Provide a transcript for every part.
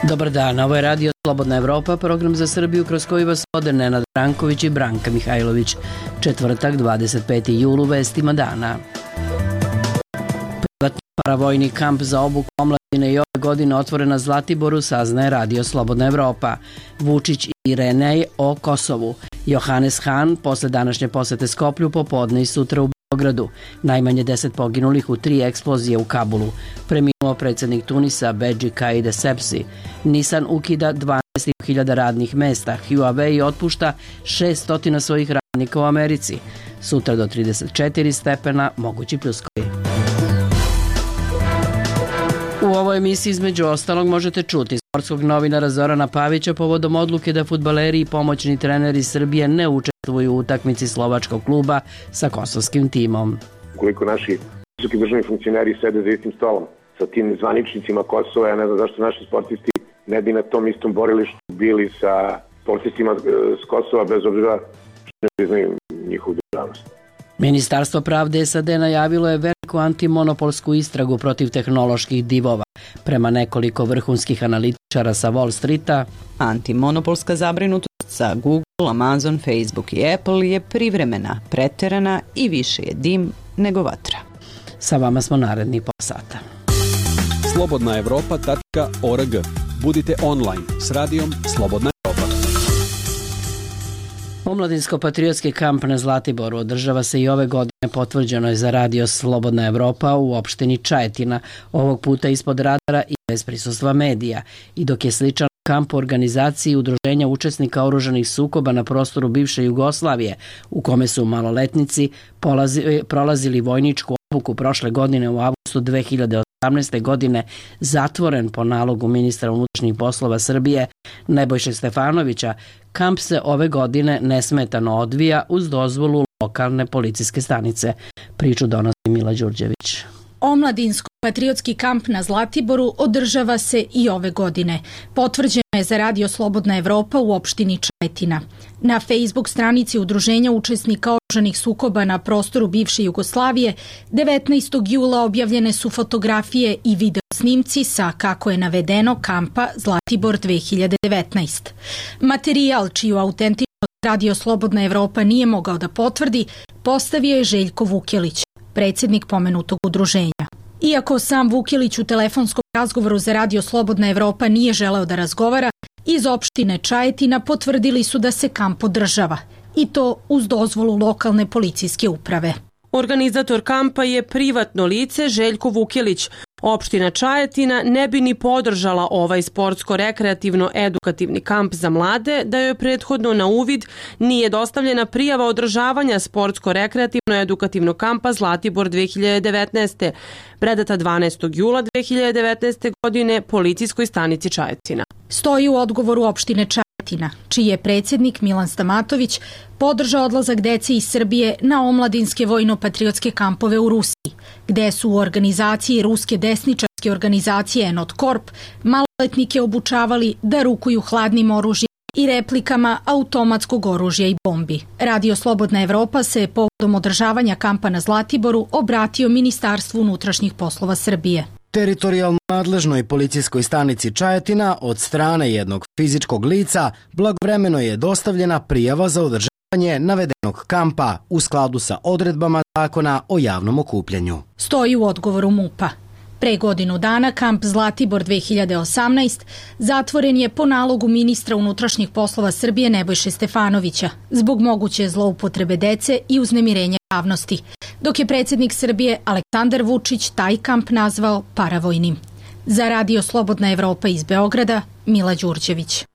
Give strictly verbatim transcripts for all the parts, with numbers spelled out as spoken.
Dobar dan, ovo je Radio Slobodna Evropa, program za Srbiju kroz koji vas vode Nenad Branković i Branka Mihajlović. Četvrtak, dvadeset peti jul, u vestima dana. Privatni paravojni kamp za obuku omladine i ove godine otvoren na Zlatiboru, saznaje Radio Slobodna Evropa. Vučić i Irinej o Kosovu. Johannes Hahn posle današnje posete Skoplju popodne i sutra u Beogradu. Najmanje deset poginulih u tri eksplozije u Kabulu. Preminuo predsjednik Tunisa Bedži Caid Essebsi. Nissan ukida dvanaest hiljada radnih mesta. Huawei otpušta šessto svojih radnika u Americi. Sutra do trideset četiri stepena, mogući pljuskovi. U ovoj emisiji između ostalog možete čuti sportskog novinara Zorana Pavića povodom odluke da fudbaleri i pomoćni treneri Srbije ne učestvuju u utakmici slovačkog kluba sa kosovskim timom. Koliko naši visoki državni funkcioneri sede za istim stolom sa tim zvaničnicima Kosova, ja ne znam zašto naši sportisti ne bi na tom istom borilištu bili sa sportistima s Kosova, bez obzira što ne priznaju njihovu državnost. Ministarstvo pravde S A D najavilo je veliku antimonopolsku istragu protiv tehnoloških divova. Prema nekoliko vrhunskih analitičara sa Wall Streeta, antimonopolska zabrinutost za Google, Amazon, Facebook i Apple je privremena, preterana i više je dim nego vatra. Sa vama smo naredni pola sata. slobodna evropa tačka org. Budite online s radijom Slobodna Evropa. Omladinsko-patriotski kamp na Zlatiboru održava se i ove godine, potvrđeno je za Radio Slobodna Evropa u opštini Čajetina, ovog puta ispod radara i bez prisustva medija. I dok je sličan kamp u organizaciji udruženja učesnika oružanih sukoba na prostoru bivše Jugoslavije, u kome su maloletnici polazi, prolazili vojničku obuku prošle godine u avgustu dve hiljade osamnaeste. godine, zatvoren po nalogu ministra unutrašnjih poslova Srbije Nebojše Stefanovića, kamp se ove godine nesmetano odvija uz dozvolu lokalne policijske stanice. Priču donosi Mila Đurđević. Omladinsko-patriotski kamp na Zlatiboru održava se i ove godine. Potvrđeno je za Radio Slobodna Evropa u opštini Čajetina. Na Facebook stranici udruženja učesnika oružanih sukoba na prostoru bivše Jugoslavije devetnaestog jula objavljene su fotografije i video snimci sa, kako je navedeno, kampa Zlatibor dve hiljade devetnaeste. Materijal, čiju autentičnost Radio Slobodna Evropa nije mogao da potvrdi, postavio je Željko Vukjelić, predsjednik pomenutog udruženja. Iako sam Vukjelić u telefonskom razgovoru za Radio Slobodna Evropa nije želeo da razgovara, iz opštine Čajetina potvrdili su da se kamp održava, i to uz dozvolu lokalne policijske uprave. Organizator kampa je privatno lice Željko Vukjelić. Opština Čajetina ne bi ni podržala ovaj sportsko-rekreativno-edukativni kamp za mlade da joj prethodno na uvid nije dostavljena prijava održavanja sportsko-rekreativno-edukativnog kampa Zlatibor dve hiljade devetnaeste. predata dvanaestog jula dve hiljade devetnaeste. godine policijskoj stanici Čajetina. Stoji u odgovoru opštine Čajetina, čiji je predsjednik Milan Stamatović podržao odlazak dece iz Srbije na omladinske vojno-patriotske kampove u Rusiji, gde su u organizaciji ruske desničarske organizacije Enotkorp maloletnike obučavali da rukuju hladnim oružjem i replikama automatskog oružja i bombi. Radio Slobodna Evropa se povodom održavanja kampa na Zlatiboru obratio Ministarstvu unutrašnjih poslova Srbije. Teritorijalno nadležnoj policijskoj stanici Čajetina od strane jednog fizičkog lica blagovremeno je dostavljena prijava za održavanje navedenog kampa u skladu sa odredbama Zakona o javnom okupljanju. Stoji u odgovoru MUP-a. Pre godinu dana kamp Zlatibor dve hiljade osamnaeste. zatvoren je po nalogu ministra unutrašnjih poslova Srbije Nebojše Stefanovića zbog moguće zloupotrebe dece i uznemirenja javnosti, dok je predsjednik Srbije Aleksandar Vučić taj kamp nazvao paravojnim. Za Radio Slobodna Evropa iz Beograda, Mila Đurđević.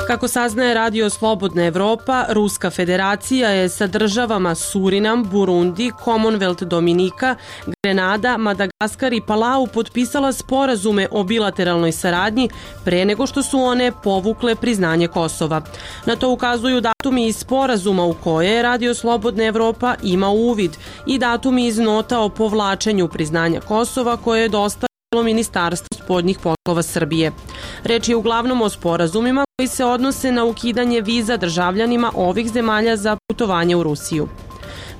Kako saznaje Radio Slobodna Evropa, Ruska federacija je sa državama Surinam, Burundi, Commonwealth Dominika, Grenada, Madagaskar i Palau potpisala sporazume o bilateralnoj saradnji pre nego što su one povukle priznanje Kosova. Na to ukazuju datumi iz sporazuma u koje Radio Slobodna Evropa ima uvid i datumi iz nota o povlačenju priznanja Kosova koje je dostavljeno Ministarstvo spoljnih poslova Srbije. Reč je uglavnom o sporazumima koji se odnose na ukidanje viza državljanima ovih zemalja za putovanje u Rusiju.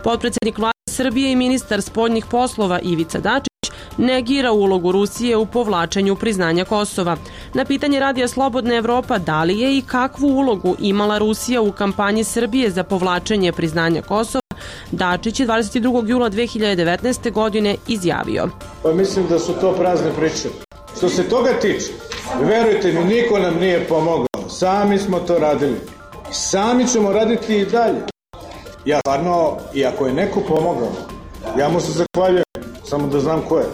Potpredsjednik vlade Srbije i ministar spoljnih poslova Ivica Dačić negira ulogu Rusije u povlačenju priznanja Kosova. Na pitanje Radija Slobodna Evropa da li je i kakvu ulogu imala Rusija u kampanji Srbije za povlačenje priznanja Kosova, Dačić je dvadeset drugog jula dve hiljade devetnaeste. godine izjavio. Pa mislim da su to prazne priče. Što se toga tiče, verujte mi, niko nam nije pomogao. Sami smo to radili. Sami ćemo raditi i dalje. Ja stvarno, i ako je neko pomogao, ja mu se zahvaljujem, samo da znam ko je.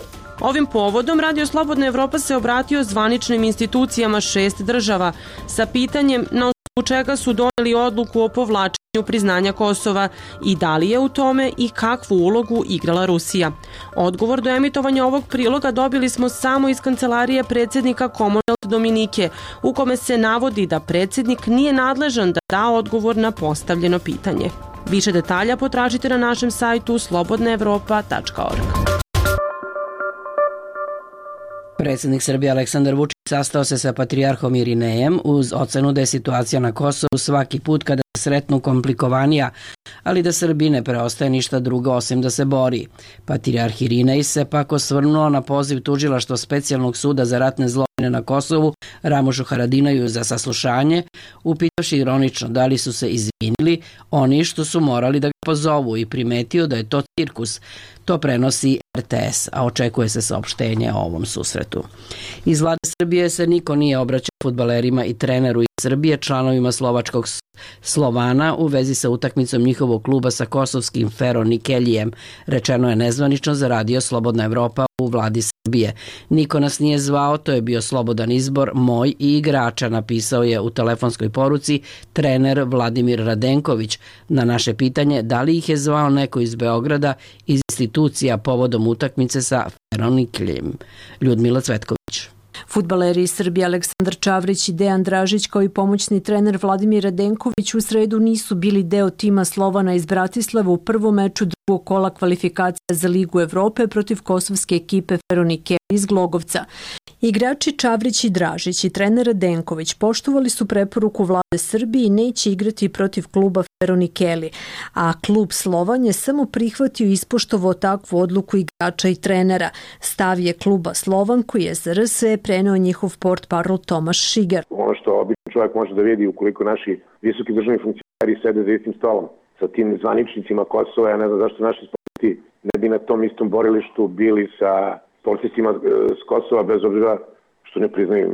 Ovim povodom Radio Slobodna Evropa se obratio zvaničnim institucijama šest država sa pitanjem na osnovu čega su doneli odluku o povlačenju priznanja Kosova i da li je u tome i kakvu ulogu igrala Rusija. Odgovor do emitovanja ovog priloga dobili smo samo iz kancelarije predsjednika Commonwealth Dominike, u kome se navodi da predsjednik nije nadležan da da odgovor na postavljeno pitanje. Više detalja potražite na našem sajtu slobodna evropa tačka org. Predsjednik Srbije Aleksandar Vučić sastao se sa patrijarhom Irinejem uz ocenu da je situacija na Kosovu svaki put kada se sretnu komplikovanija, ali da Srbiji ne preostaje ništa drugo osim da se bori. Patrijarh Irinej se pak osvrnuo na poziv tužilaštva Specijalnog suda za ratne zločine na Kosovu Ramušu Haradinaju za saslušanje, upitavši ironično da li su se izvinili oni što su morali da ga pozovu i primetio da je to cirkus. To prenosi R T S, a očekuje se saopštenje o ovom susretu. Iz vlade Srbije se niko nije obraćao fudbalerima i treneru iz Srbije, članovima slovačkog Slovana u vezi sa utakmicom njihovog kluba sa kosovskim Feronikelijem, rečeno je nezvanično za Radio Slobodna Evropa u vladi Srbije. Niko nas nije zvao, to je bio slobodan izbor moj i igrača, napisao je u telefonskoj poruci trener Vladimir Radenković na naše pitanje da li ih je zvao neko iz Beograda iz institucija povodom utakmice sa Feronikelijem. Ljudmila Cvetković. Fudbaleri iz Srbije Aleksandar Čavrić i Dejan Dražić kao i pomoćni trener Vladimir Radenković u sredu nisu bili deo tima Slovana iz Bratislava u prvom meču drugog kola kvalifikacija za Ligu Evrope protiv kosovske ekipe Feronikeli iz Glogovca. Igrači Čavrić i Dražić i trener Radenković poštovali su preporuku vlade Srbije i neće igrati protiv kluba Feronikeli, a klub Slovan je samo prihvatio i ispoštovao takvu odluku igrača i trenera. Stav je kluba Slovan koji je za R S E preneo njihov portparol Tomaš Šigar. Ono što običan čovjek može da vidi ukoliko naši visoki državni funkcioneri sede za istim stolom sa tim zvaničnicima Kosova, ja ne znam zašto naši sportisti ne bi na tom istom borilištu bili sa sportistima s Kosova, bez obzira što ne priznaju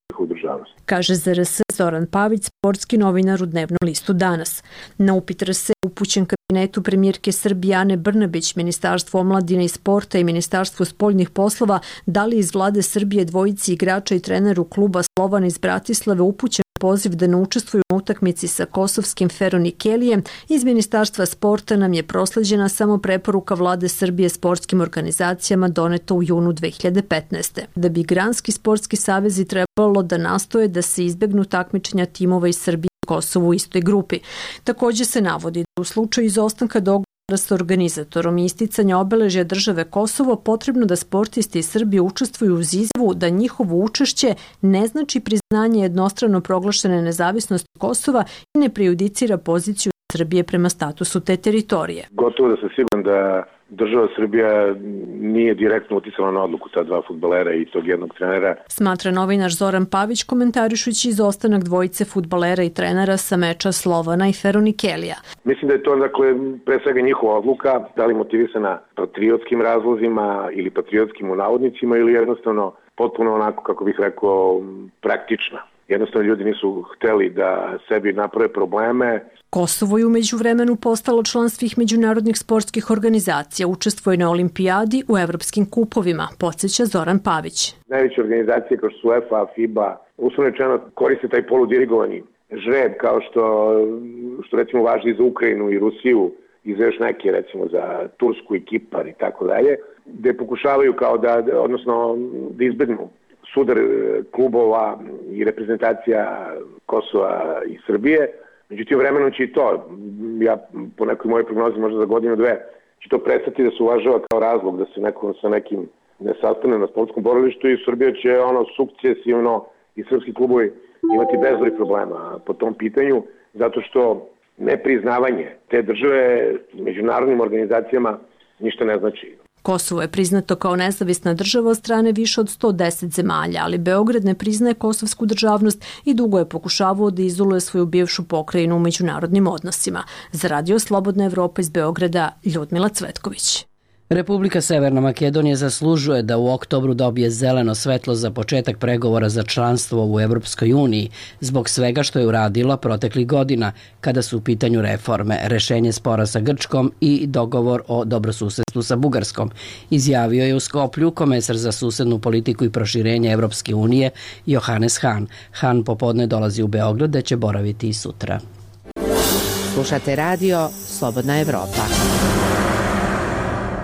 njihovu državnost. Kaže za R S E Zoran Pavić, sportski novinar u dnevnom listu Danas. Na upit R S E upućen kabinetu premijerke Srbije Ane Brnabić, Ministarstvo omladine i sporta i Ministarstvo spoljnih poslova, da li iz vlade Srbije dvojici igrača i treneru kluba Slovan iz Bratislave upućen poziv da ne učestvuju u utakmici sa kosovskim Feronikelijem, iz Ministarstva sporta nam je prosleđena samo preporuka vlade Srbije sportskim organizacijama doneta u junu dve hiljade petnaeste. Da bi granski sportski savezi trebalo da nastoje da se izbegnu takmičenja timova iz Srbije i Kosovu u istoj grupi. Također se navodi da u slučaju izostanka dogovora sa organizatorom i isticanja obeležja države Kosovo potrebno da sportisti iz Srbije učestvuju uz izjavu da njihovo učešće ne znači priznanje jednostrano proglašene nezavisnosti Kosova i ne prejudicira poziciju Srbije prema statusu te teritorije. Gotovo da sam siguran da država Srbija nije direktno uticala na odluku ta dva fudbalera i tog jednog trenera. Smatra novinar Zoran Pavić komentarišući izostanak dvojice fudbalera i trenera sa meča Slovana i Feronikelija. Mislim da je to dakle pre svega njihova odluka, da li motivisana patriotskim razlozima ili patriotskim u navodnicima ili jednostavno potpuno onako, kako bih rekao, praktična. Jednostavno ljudi nisu hteli da sebi naprave probleme. Kosovo je umeđu vremenu postalo član svih međunarodnih sportskih organizacija, učestvuje na olimpijadi u evropskim kupovima, podsjeća Zoran Pavić. Najveće organizacije kao što su UEFA, FIBA, uslovno rečeno koriste taj poludirigovani žreb kao što, što recimo važi za Ukrajinu i Rusiju i za još neke, recimo za Tursku i Kipar i tako dalje, gde pokušavaju kao da, odnosno da izbegnu sudar klubova i reprezentacija Kosova i Srbije. Međutim, vremenom će i to, ja po nekoj mojoj prognozi možda za godinu dve, će to prestati da se uvažava kao razlog da se neko sa nekim ne sastane na sportskom borilištu i Srbija će ono sukcesivno i srpski klubovi imati bezbroj problema po tom pitanju, zato što nepriznavanje te države međunarodnim organizacijama ništa ne znači. Kosovo je priznato kao nezavisna država od strane više od sto deset zemalja, ali Beograd ne priznaje kosovsku državnost i dugo je pokušavao da izoluje svoju bivšu pokrajinu u međunarodnim odnosima. Za Radio Slobodna Evropa iz Beograda, Ljudmila Cvetković. Republika Severna Makedonija zaslužuje da u oktobru dobije zeleno svetlo za početak pregovora za članstvo u Evropskoj uniji zbog svega što je uradila proteklih godina kada su u pitanju reforme, rešenje spora sa Grčkom i dogovor o dobrosusedstvu sa Bugarskom, izjavio je u Skoplju komesar za susednu politiku i proširenje Evropske unije Johannes Hahn. Hahn popodne dolazi u Beograd da će boraviti i sutra. Slušate radio Slobodna Evropa.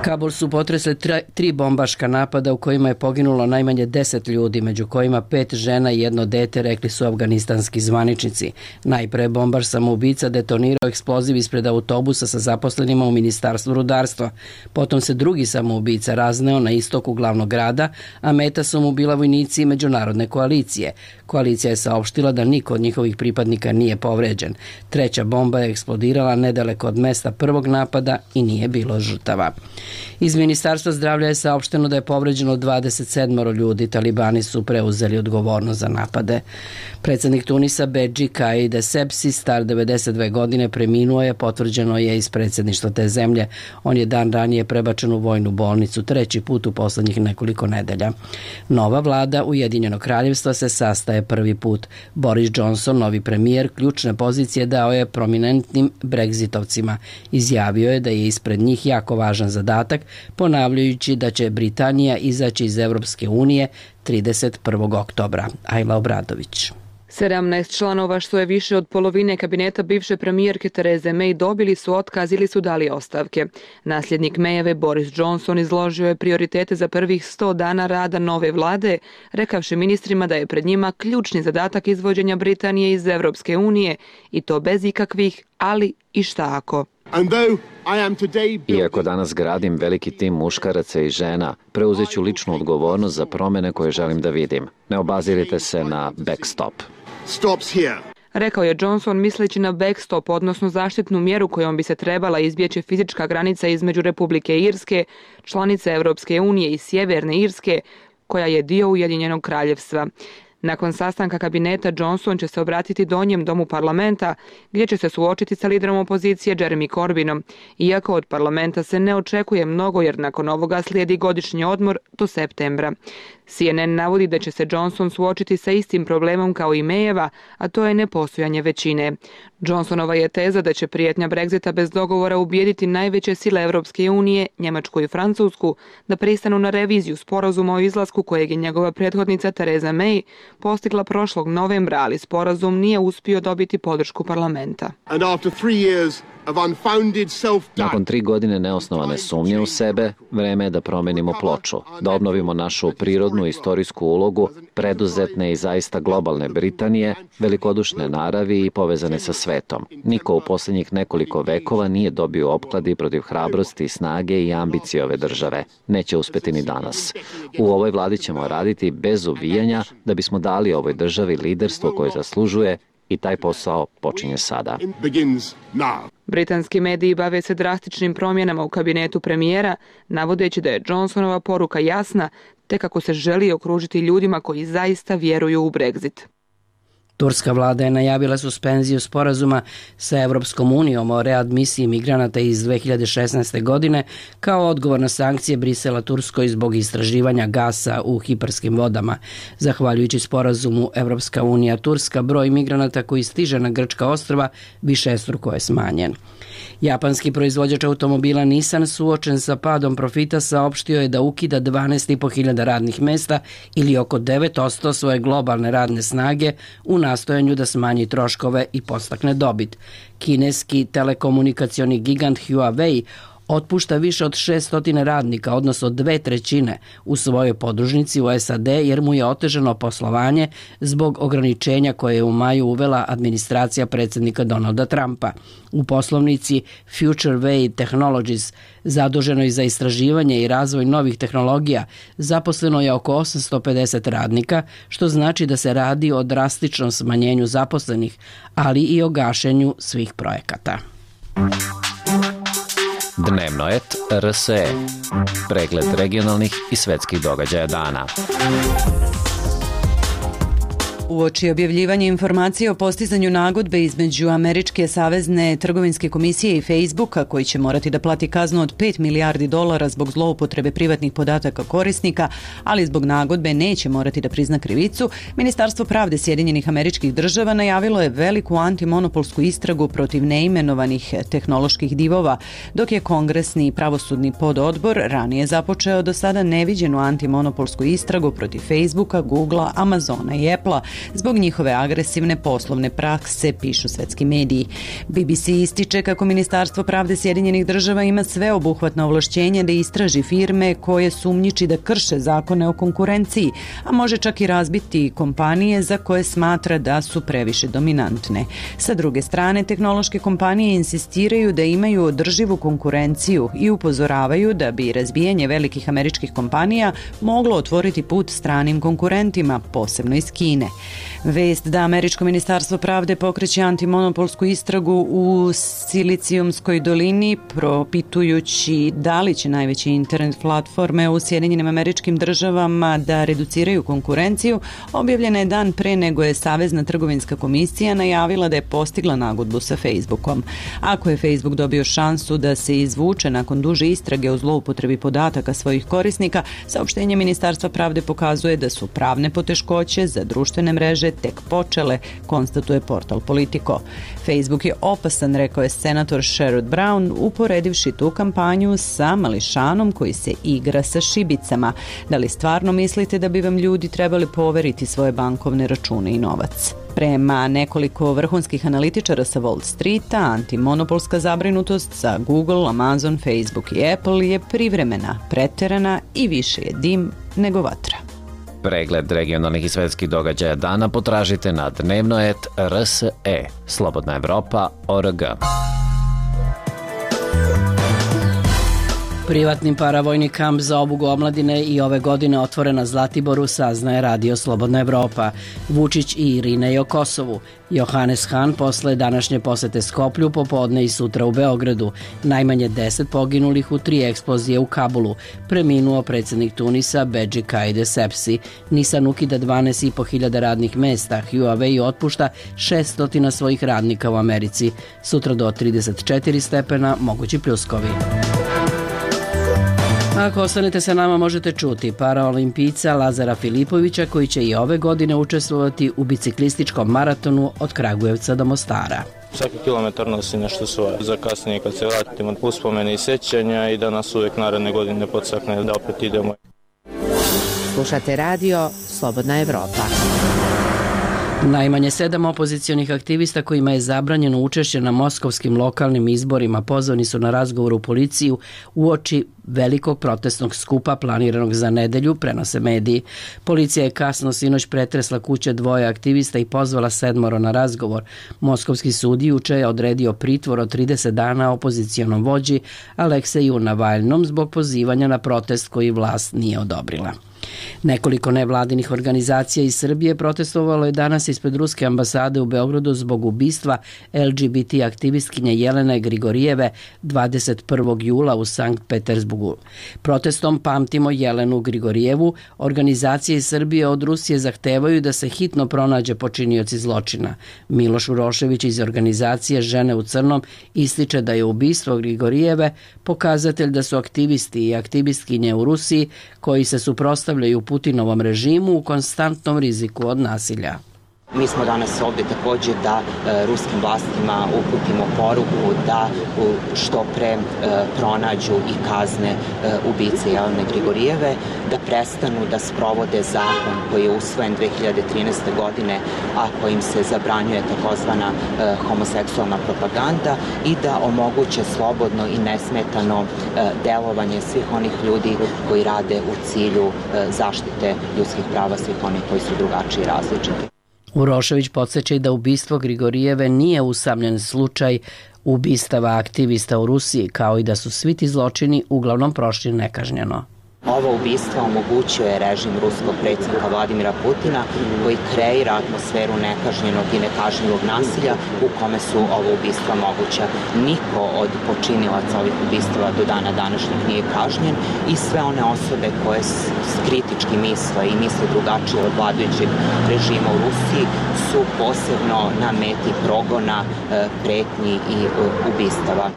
Kabul su potresle tri bombaška napada u kojima je poginulo najmanje deset ljudi, među kojima pet žena i jedno dete, rekli su afganistanski zvaničnici. Najpre bombaš samoubica detonirao eksploziv ispred autobusa sa zaposlenima u Ministarstvu rudarstva. Potom se drugi samoubica razneo na istoku glavnog grada, a meta su mu bila vojnici međunarodne koalicije. Koalicija je saopštila da niko od njihovih pripadnika nije povređen. Treća bomba je eksplodirala nedaleko od mesta prvog napada i nije bilo žrtava. Iz Ministarstva zdravlja je saopšteno da je povređeno dvadeset sedam ljudi. Talibani su preuzeli odgovornost za napade. Predsednik Tunisa Bedži Kaid Essebsi, star devedeset dve godine, preminuo je, potvrđeno je iz predsedništva te zemlje. On je dan ranije prebačen u vojnu bolnicu, treći put u poslednjih nekoliko nedelja. Nova vlada Ujedinjenog kraljevstva se sastaje prvi put. Boris Johnson, novi premijer, ključne pozicije dao je prominentnim Brexitovcima. Izjavio je da je ispred njih jako važan zadatak, ponavljajući da će Britanija izaći iz Evropske unije trideset prvog oktobra. Ajla Obradović. sedamnaest članova, što je više od polovine kabineta bivše premijerke Tereze May, dobili su otkaz ili su dali ostavke. Nasljednik Mayeve Boris Johnson izložio je prioritete za prvih sto dana rada nove vlade, rekavši ministrima da je pred njima ključni zadatak izvođenja Britanije iz Evropske unije i to bez ikakvih ali i šta ako. Iako danas gradim veliki tim muškaraca i žena, preuzet ću ličnu odgovornost za promene koje želim da vidim. Ne obazirite se na backstop. Rekao je Johnson misleći na backstop, odnosno zaštitnu mjeru kojom bi se trebala izbjeći fizička granica između Republike Irske, članice Evropske unije i Sjeverne Irske, koja je dio Ujedinjenog kraljevstva. Nakon sastanka kabineta Johnson će se obratiti donjem domu parlamenta, gdje će se suočiti sa liderom opozicije Jeremy Corbynom, iako od parlamenta se ne očekuje mnogo jer nakon ovoga slijedi godišnji odmor do septembra. C N N navodi da će se Johnson suočiti sa istim problemom kao i Mayeva, a to je nepostojanje većine. Johnsonova je teza da će prijetnja Brexita bez dogovora ubijediti najveće sile Evropske unije, Njemačku i Francusku, da pristanu na reviziju sporazuma o izlasku kojeg je njegova prethodnica Theresa May postigla prošlog novembra, ali sporazum nije uspio dobiti podršku parlamenta. Nakon tri godine neosnovane sumnje u sebe, vreme je da promenimo ploču, da obnovimo našu prirodnu istorijsku ulogu, preduzetne i zaista globalne Britanije, velikodušne naravi i povezane sa svetom. Niko u posljednjih nekoliko vekova nije dobio opkladi protiv hrabrosti, snage i ambicije ove države. Neće uspeti ni danas. U ovoj vladi ćemo raditi bez uvijanja da bismo dali ovoj državi liderstvo koje zaslužuje i taj posao počinje sada. Britanski mediji bave se drastičnim promjenama u kabinetu premijera, navodeći da je Johnsonova poruka jasna, te kako se želi okružiti ljudima koji zaista vjeruju u Brexit. Turska vlada je najavila suspenziju sporazuma sa Evropskom unijom o readmisiji migranata iz dve hiljade šesnaeste. godine kao odgovor na sankcije Brisela Turskoj zbog istraživanja gasa u Kiparskim vodama. Zahvaljujući sporazumu Evropska unija Turska, broj migranata koji stiže na grčka ostrva višestruko je smanjen. Japanski proizvođač automobila Nissan, suočen sa padom profita, saopštio je da ukida dvanaest i po hiljada radnih mesta ili oko devet posto svoje globalne radne snage u nastojanju da smanji troškove i podstakne dobit. Kineski telekomunikacioni gigant Huawei otpušta više od šesto radnika, odnosno dve trećine, u svojoj podružnici u S A D jer mu je otežano poslovanje zbog ograničenja koje je u maju uvela administracija predsjednika Donalda Trumpa. U poslovnici Future Way Technologies, zaduženoj za istraživanje i razvoj novih tehnologija, zaposleno je oko osamsto pedeset radnika, što znači da se radi o drastičnom smanjenju zaposlenih, ali i o gašenju svih projekata. Dnevnoet R S E. Pregled regionalnih i svetskih događaja dana. Uoči objavljivanja informacije o postizanju nagodbe između Američke savezne trgovinske komisije i Facebooka, koji će morati da plati kaznu od pet milijardi dolara zbog zloupotrebe privatnih podataka korisnika, ali zbog nagodbe neće morati da prizna krivicu, Ministarstvo pravde Sjedinjenih Američkih Država najavilo je veliku antimonopolsku istragu protiv neimenovanih tehnoloških divova, dok je Kongresni i pravosudni pododbor ranije započeo do sada neviđenu antimonopolsku istragu protiv Facebooka, Googlea, Amazona i Applea zbog njihove agresivne poslovne prakse, pišu svetski mediji. B B C ističe kako Ministarstvo pravde Sjedinjenih Država ima sveobuhvatno ovlašćenje da istraži firme koje sumnjiči da krše zakone o konkurenciji, a može čak i razbiti kompanije za koje smatra da su previše dominantne. Sa druge strane, tehnološke kompanije insistiraju da imaju održivu konkurenciju i upozoravaju da bi razbijanje velikih američkih kompanija moglo otvoriti put stranim konkurentima, posebno iz Kine. Vest da Američko ministarstvo pravde pokreće antimonopolsku istragu u Silicijumskoj dolini, propitujući da li će najveće internet platforme u Sjedinjenim Američkim Državama da reduciraju konkurenciju, objavljena je dan pre nego je Savezna trgovinska komisija najavila da je postigla nagodbu sa Facebookom. Ako je Facebook dobio šansu da se izvuče nakon duže istrage o zloupotrebi podataka svojih korisnika, saopštenje Ministarstva pravde pokazuje da su pravne poteškoće za društvene mreže tek počele, konstatuje portal Politico. Facebook je opasan, rekao je senator Sherrod Brown, uporedivši tu kampanju sa mališanom koji se igra sa šibicama. Da li stvarno mislite da bi vam ljudi trebali poveriti svoje bankovne račune i novac? Prema nekoliko vrhunskih analitičara sa Wall Streeta, antimonopolska zabrinutost za Google, Amazon, Facebook i Apple je privremena, preterana i više je dim nego vatra. Pregled regionalnih i svetskih događaja dana potražite na Dnevnoet R S E, Slobodna Evropa, O R G. Privatni paravojni kamp za obuku omladine i ove godine otvoren na Zlatiboru, saznaje Radio Slobodna Evropa. Vučić i Irinej o Kosovu. Johannes Han posle današnje posete Skoplju, popodne i sutra u Beogradu. Najmanje deset poginulih u tri eksplozije u Kabulu. Preminuo predsjednik Tunisa Bedži Kaide Sepsi. Nisan ukida dvanaest i po hiljada radnih mesta. Huawei otpušta šessto svojih radnika u Americi. Sutra do trideset četiri stepena, mogući pljuskovi. Ako ostanete sa nama, možete čuti paraolimpijca Lazara Filipovića, koji će i ove godine učestvovati u biciklističkom maratonu od Kragujevca do Mostara. Svaki kilometar nosi nešto svoje. Za kasnije kad se vratimo uspomene i sećanja i da nas uvek naredne godine podstakne da opet idemo. Slušate radio Slobodna Evropa. Najmanje sedam opozicionih aktivista kojima je zabranjeno učešće na moskovskim lokalnim izborima pozvani su na razgovor u policiju uoči velikog protestnog skupa planiranog za nedelju, prenose mediji. Policija je kasno sinoć pretresla kuće dvoje aktivista i pozvala sedmoro na razgovor. Moskovski sud juče je odredio pritvor od trideset dana opozicionom vođi Alekseju Navalnom zbog pozivanja na protest koji vlast nije odobrila. Nekoliko nevladinih organizacija iz Srbije protestovalo je danas ispred ruske ambasade u Beogradu zbog ubistva L G B T aktivistkinje Jelene Grigorijeve dvadeset prvog jula u Sankt Petersburgu. Protestom Pamtimo Jelenu Grigorijevu organizacije iz Srbije od Rusije zahtevaju da se hitno pronađe počinioci zločina. Miloš Urošević iz organizacije Žene u crnom ističe da je ubistvo Grigorijeve pokazatelj da su aktivisti i aktivistkinje u Rusiji koji se suprotstavljaju Putinovom režimu u konstantnom riziku od nasilja. Mi smo danas ovdje također da e, ruskim vlastima uputimo poruku da u, što pre e, pronađu i kazne e, ubice Jelene Grigorijeve, da prestanu da sprovode zakon koji je usvojen dve hiljade trinaeste. godine, a kojim se zabranjuje takozvana e, homoseksualna propaganda i da omoguće slobodno i nesmetano e, delovanje svih onih ljudi koji rade u cilju e, zaštite ljudskih prava svih onih koji su drugačiji i različiti. Urošević podsjeća i da ubistvo Grigorijeve nije usamljen slučaj ubistava aktivista u Rusiji, kao i da su svi ti zločini uglavnom prošli nekažnjeno. Ovo ubistvo omogućuje režim ruskog predsjednika Vladimira Putina koji kreira atmosferu nekažnjenog i nekažnjivog nasilja u kome su ovo ubistva moguća. Niko od počinilaca ovih ubistava do dana današnjeg nije kažnjen i sve one osobe koje kritički misle i misle drugačije od vladajućeg režima u Rusiji su posebno na meti progona, pretnji i ubistava.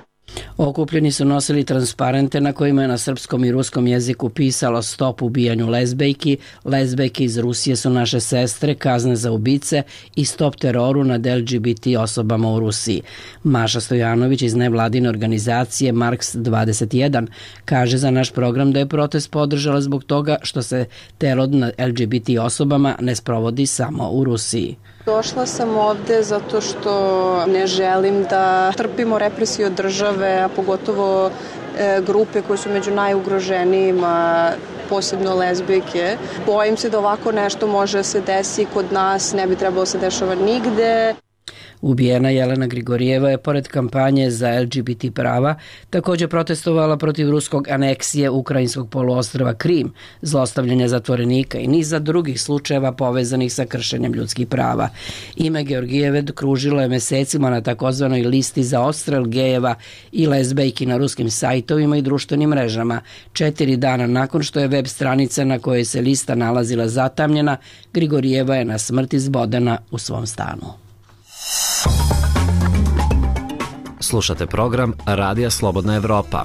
Okupljeni su nosili transparente na kojima je na srpskom i ruskom jeziku pisalo stop ubijanju lezbejki, lezbejke iz Rusije su naše sestre, kazne za ubice i stop teroru nad L G B T osobama u Rusiji. Maša Stojanović iz nevladine organizacije Marks dvadeset jedan kaže za naš program da je protest podržala zbog toga što se teror nad L G B T osobama ne sprovodi samo u Rusiji. Došla sam ovde zato što ne želim da trpimo represiju od države, a pogotovo e, grupe koje su među najugroženijima, posebno lezbijke. Bojim se da ovako nešto može da se desi kod nas, ne bi trebalo se dešava nigde. Ubijena Jelena Grigorijeva je pored kampanje za L G B T prava također protestovala protiv ruskog aneksije ukrajinskog poluostrva Krim, zlostavljanja zatvorenika i niza drugih slučajeva povezanih sa kršenjem ljudskih prava. Ime Georgijeve kružilo je mesecima na takozvanoj listi za odstrel gejeva i lezbejki na ruskim sajtovima i društvenim mrežama. Četiri dana nakon što je web stranica na kojoj se lista nalazila zatamnjena, Grigorijeva je na smrt izbodena u svom stanu. Slušate program Radija Slobodna Evropa.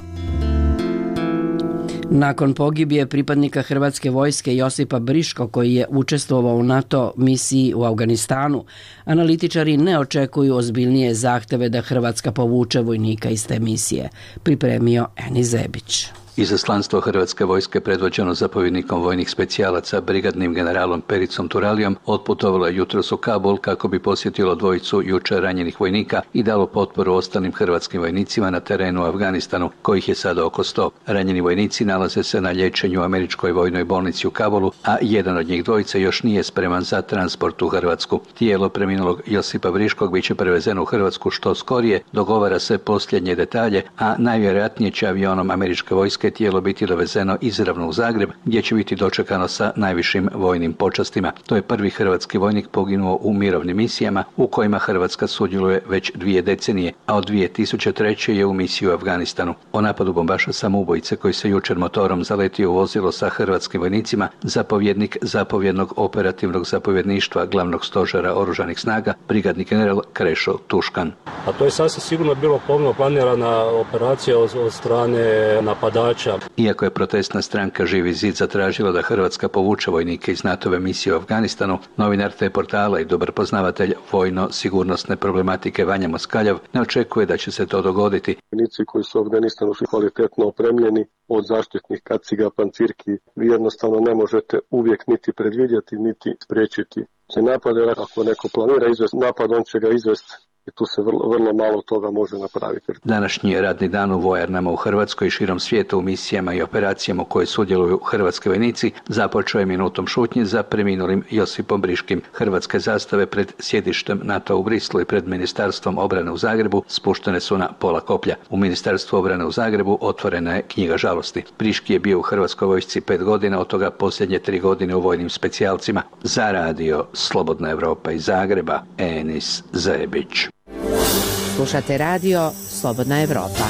Nakon pogibije pripadnika Hrvatske vojske Josipa Briško, koji je učestvovao u NATO misiji u Afganistanu, analitičari ne očekuju ozbiljnije zahteve da Hrvatska povuče vojnika iz te misije, pripremio Eni Zebić. Izaslanstvo Hrvatske vojske predvođeno zapovjednikom vojnih specijalaca brigadnim generalom Pericom Turalijom otputovalo je jutros u Kabul kako bi posjetilo dvojicu jučer ranjenih vojnika i dalo potporu ostalim hrvatskim vojnicima na terenu u Afganistanu, kojih je sada oko sto. Ranjeni vojnici nalaze se na liječenju u američkoj vojnoj bolnici u Kabulu, a jedan od njih dvojice još nije spreman za transport u Hrvatsku. Tijelo preminulog Josipa Briškog biće prevezeno u Hrvatsku što skorije, dogovara se posljednje detalje, a najvjerojatnije će avionom američke vojske tijelo biti dovezeno izravno u Zagreb, gdje će biti dočekano sa najvišim vojnim počastima. To je prvi hrvatski vojnik poginuo u mirovnim misijama u kojima Hrvatska sudjeluje već dvije decenije, a od dvije tisuće treće je u misiji u Afganistanu. O napadu bombaša samoubojice koji se jučer motorom zaletio u vozilo sa hrvatskim vojnicima, zapovjednik zapovjednog operativnog zapovjedništva glavnog stožera oružanih snaga, brigadni general Krešo Tuškan. A to je sasvim sigurno bilo pomno planirana operacija od, od strane napadača. Iako je protestna stranka Živi zid zatražila da Hrvatska povuče vojnike iz NATO-ve misije u Afganistanu, novinar te portala i dobar poznavatelj vojno-sigurnosne problematike Vanja Moskaljav ne očekuje da će se to dogoditi. Vojnici koji su u Afganistanu su kvalitetno opremljeni od zaštitnih kaciga, pancirki. Vi jednostavno ne možete uvijek niti predvidjeti, niti spriječiti se napade. Ako neko planira izvesti napad, on će ga izvesti. I tu se vrlo, vrlo malo toga može napraviti. Današnji je radni dan u vojarnama u Hrvatskoj i širom svijeta u misijama i operacijama u koje sudjeluju hrvatski vojnici započeo je minutom šutnje za preminulim Josipom Briškim. Hrvatske zastave pred sjedištem NATO u Brislu i pred Ministarstvom obrane u Zagrebu spuštene su na pola koplja. U Ministarstvu obrane u Zagrebu otvorena je knjiga žalosti. Briški je bio u Hrvatskoj vojsci pet godina, od toga posljednje tri godine u vojnim specijalcima. Za radio Slobodna Evropa iz Zagreba, Enis Zebić. Slušate radio Slobodna Evropa.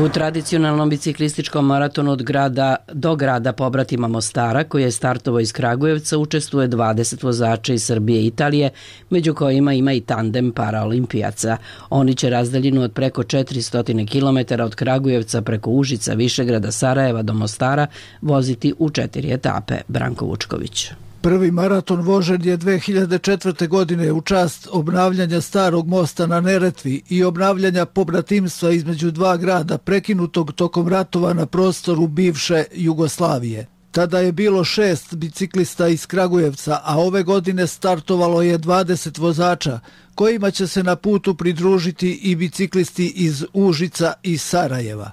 U tradicionalnom biciklističkom maratonu od grada do grada pobratima Mostara, koji je startovao iz Kragujevca, učestvuje dvadeset vozača iz Srbije i Italije, među kojima ima i tandem paraolimpijaca. Oni će razdaljinu od preko četiristo kilometara od Kragujevca preko Užica, Višegrada, Sarajeva do Mostara voziti u četiri etape. Branko Vučković. Prvi maraton vožen je dve hiljade četvrte. godine u čast obnavljanja starog mosta na Neretvi i obnavljanja pobratimstva između dva grada prekinutog tokom ratova na prostoru bivše Jugoslavije. Tada je bilo šest biciklista iz Kragujevca, a ove godine startovalo je dvadeset vozača, kojima će se na putu pridružiti i biciklisti iz Užica i Sarajeva.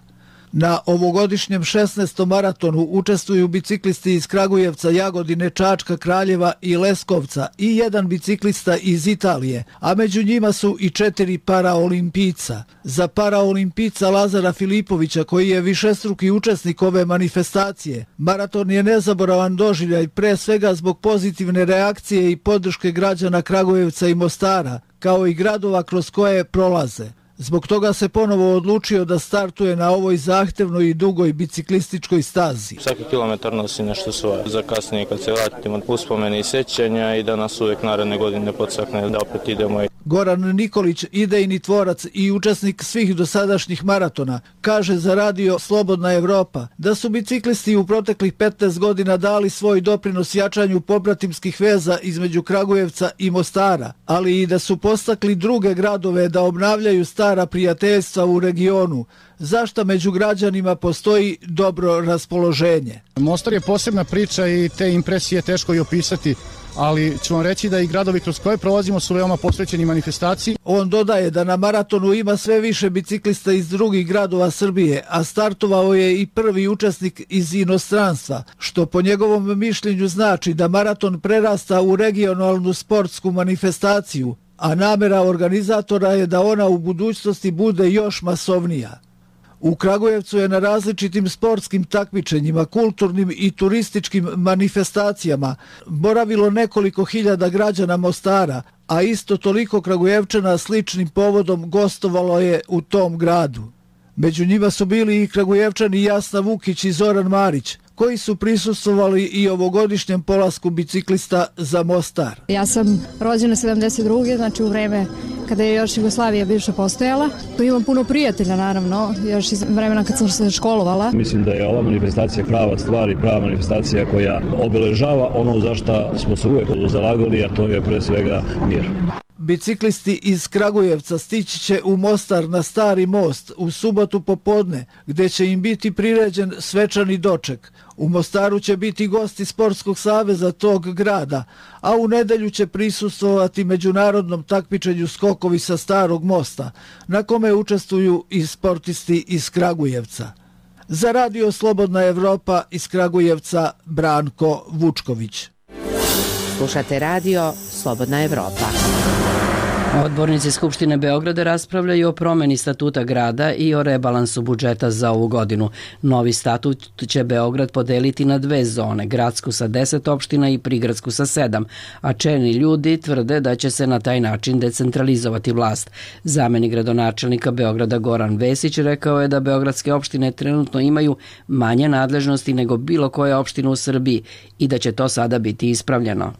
Na ovogodišnjem šesnaestom maratonu učestvuju biciklisti iz Kragujevca, Jagodine, Čačka, Kraljeva i Leskovca i jedan biciklista iz Italije, a među njima su i četiri paraolimpijca. Za paraolimpijca Lazara Filipovića, koji je višestruki učesnik ove manifestacije, maraton je nezaboravan doživljaj pre svega zbog pozitivne reakcije i podrške građana Kragujevca i Mostara, kao i gradova kroz koje prolaze. Zbog toga se ponovo odlučio da startuje na ovoj zahtevnoj i dugoj biciklističkoj stazi. Svaki kilometar nosi nešto svoje. Za kasnije kad se vratimo uspomene i sećanja i da nas uvek naredne godine podstakne da opet idemo. Goran Nikolić, idejni tvorac i učesnik svih dosadašnjih maratona, kaže za radio Slobodna Evropa da su biciklisti u proteklih petnaest godina dali svoj doprinos jačanju pobratimskih veza između Kragujevca i Mostara, ali i da su postakli druge gradove da obnavljaju stara prijateljstva u regionu, zašto među građanima postoji dobro raspoloženje. Mostar je posebna priča i te impresije teško i opisati, ali ću vam reći da i gradovi kroz koje prolazimo su veoma posvećeni manifestaciji. On dodaje da na maratonu ima sve više biciklista iz drugih gradova Srbije, a startovao je i prvi učesnik iz inostranstva, što po njegovom mišljenju znači da maraton prerasta u regionalnu sportsku manifestaciju, a namera organizatora je da ona u budućnosti bude još masovnija. U Kragujevcu je na različitim sportskim takmičenjima, kulturnim i turističkim manifestacijama boravilo nekoliko hiljada građana Mostara, a isto toliko Kragujevčana sličnim povodom gostovalo je u tom gradu. Među njima su bili i Kragujevčani Jasna Vukić i Zoran Marić, koji su prisustvovali i ovogodišnjem polasku biciklista za Mostar. Ja sam rođena sedamdeset druge znači u vreme kada je još Jugoslavija bivša postojala. Tu imam puno prijatelja, naravno, još iz vremena kad sam se školovala. Mislim da je ova manifestacija prava stvar i prava manifestacija koja obeležava ono za što smo se uvek zalagali, a to je pre svega mir. Biciklisti iz Kragujevca stići će u Mostar na Stari most u subotu popodne, gde će im biti priređen svečani doček. U Mostaru će biti gosti Sportskog saveza tog grada, a u nedelju će prisustvovati međunarodnom takmičenju skokovi sa Starog mosta, na kome učestvuju i sportisti iz Kragujevca. Za radio Slobodna Evropa iz Kragujevca, Branko Vučković. Slušate radio Slobodna Evropa. Odbornici Skupštine Beograda raspravljaju o promeni statuta grada i o rebalansu budžeta za ovu godinu. Novi statut će Beograd podeliti na dve zone, gradsku sa deset opština i prigradsku sa sedam, a čelni ljudi tvrde da će se na taj način decentralizovati vlast. Zamenik gradonačelnika Beograda Goran Vesić rekao je da beogradske opštine trenutno imaju manje nadležnosti nego bilo koja opština u Srbiji i da će to sada biti ispravljeno.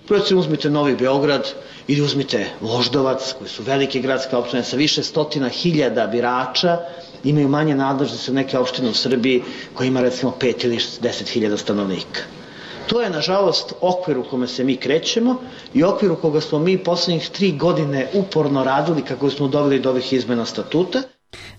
Recimo uzmite Novi Beograd ili uzmite Voždovac, koji su velike gradske opštine sa više stotina hiljada birača, imaju manje nadležnosti od neke opštine u Srbiji koja ima recimo pet ili deset hiljada stanovnika. To je nažalost okvir u kome se mi krećemo i okvir u koga smo mi poslednjih tri godine uporno radili kako smo doveli do ovih izmena statuta.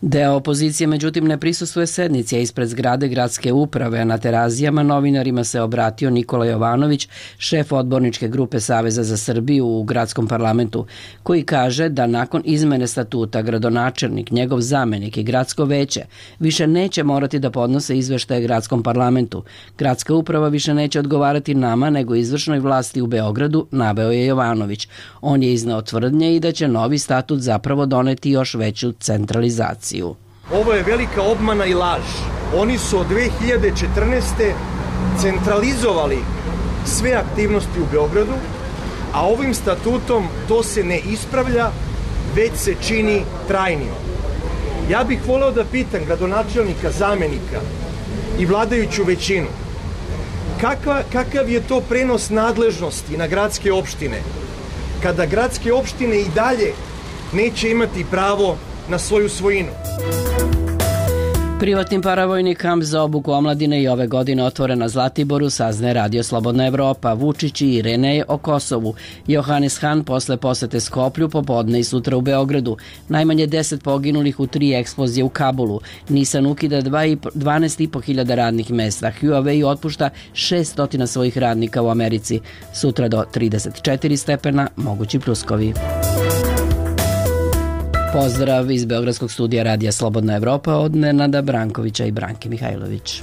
Deo opozicije međutim ne prisustvuje sednici, a ispred zgrade gradske uprave, a na Terazijama novinarima se obratio Nikola Jovanović, šef odborničke grupe Saveza za Srbiju u gradskom parlamentu, koji kaže da nakon izmene statuta gradonačelnik, njegov zamenik i gradsko veće više neće morati da podnose izveštaje gradskom parlamentu. Gradska uprava više neće odgovarati nama nego izvršnoj vlasti u Beogradu, naveo je Jovanović. On je izneo tvrdnje i da će novi statut zapravo doneti još veću centralizaciju. Ovo je velika obmana i laž. Oni su od dve hiljade četrnaeste. centralizovali sve aktivnosti u Beogradu, a ovim statutom to se ne ispravlja, već se čini trajnijom. Ja bih voleo da pitam gradonačelnika, zamenika i vladajuću većinu, kakva, kakav je to prenos nadležnosti na gradske opštine, kada gradske opštine i dalje neće imati pravo na svoju svojinu. Privatni paravojni kamp za obuku omladine i ove godine otvoren na Zlatiboru, saznaje Radio Slobodna Evropa. Vučić i Irene o Kosovu. Johannes Han posle posete Skoplju popodne i sutra u Beogradu. Najmanje deset poginulih u tri eksplozije u Kabulu. Nissan ukida dvanaest i po hiljada radnih mesta. Huawei otpušta šeststo svojih radnika u Americi. Sutra do trideset četiri stepena, mogući pljuskovi. Pozdrav iz Beogradskog studija Radija Slobodna Evropa od Nenada Brankovića i Branke Mihajlović.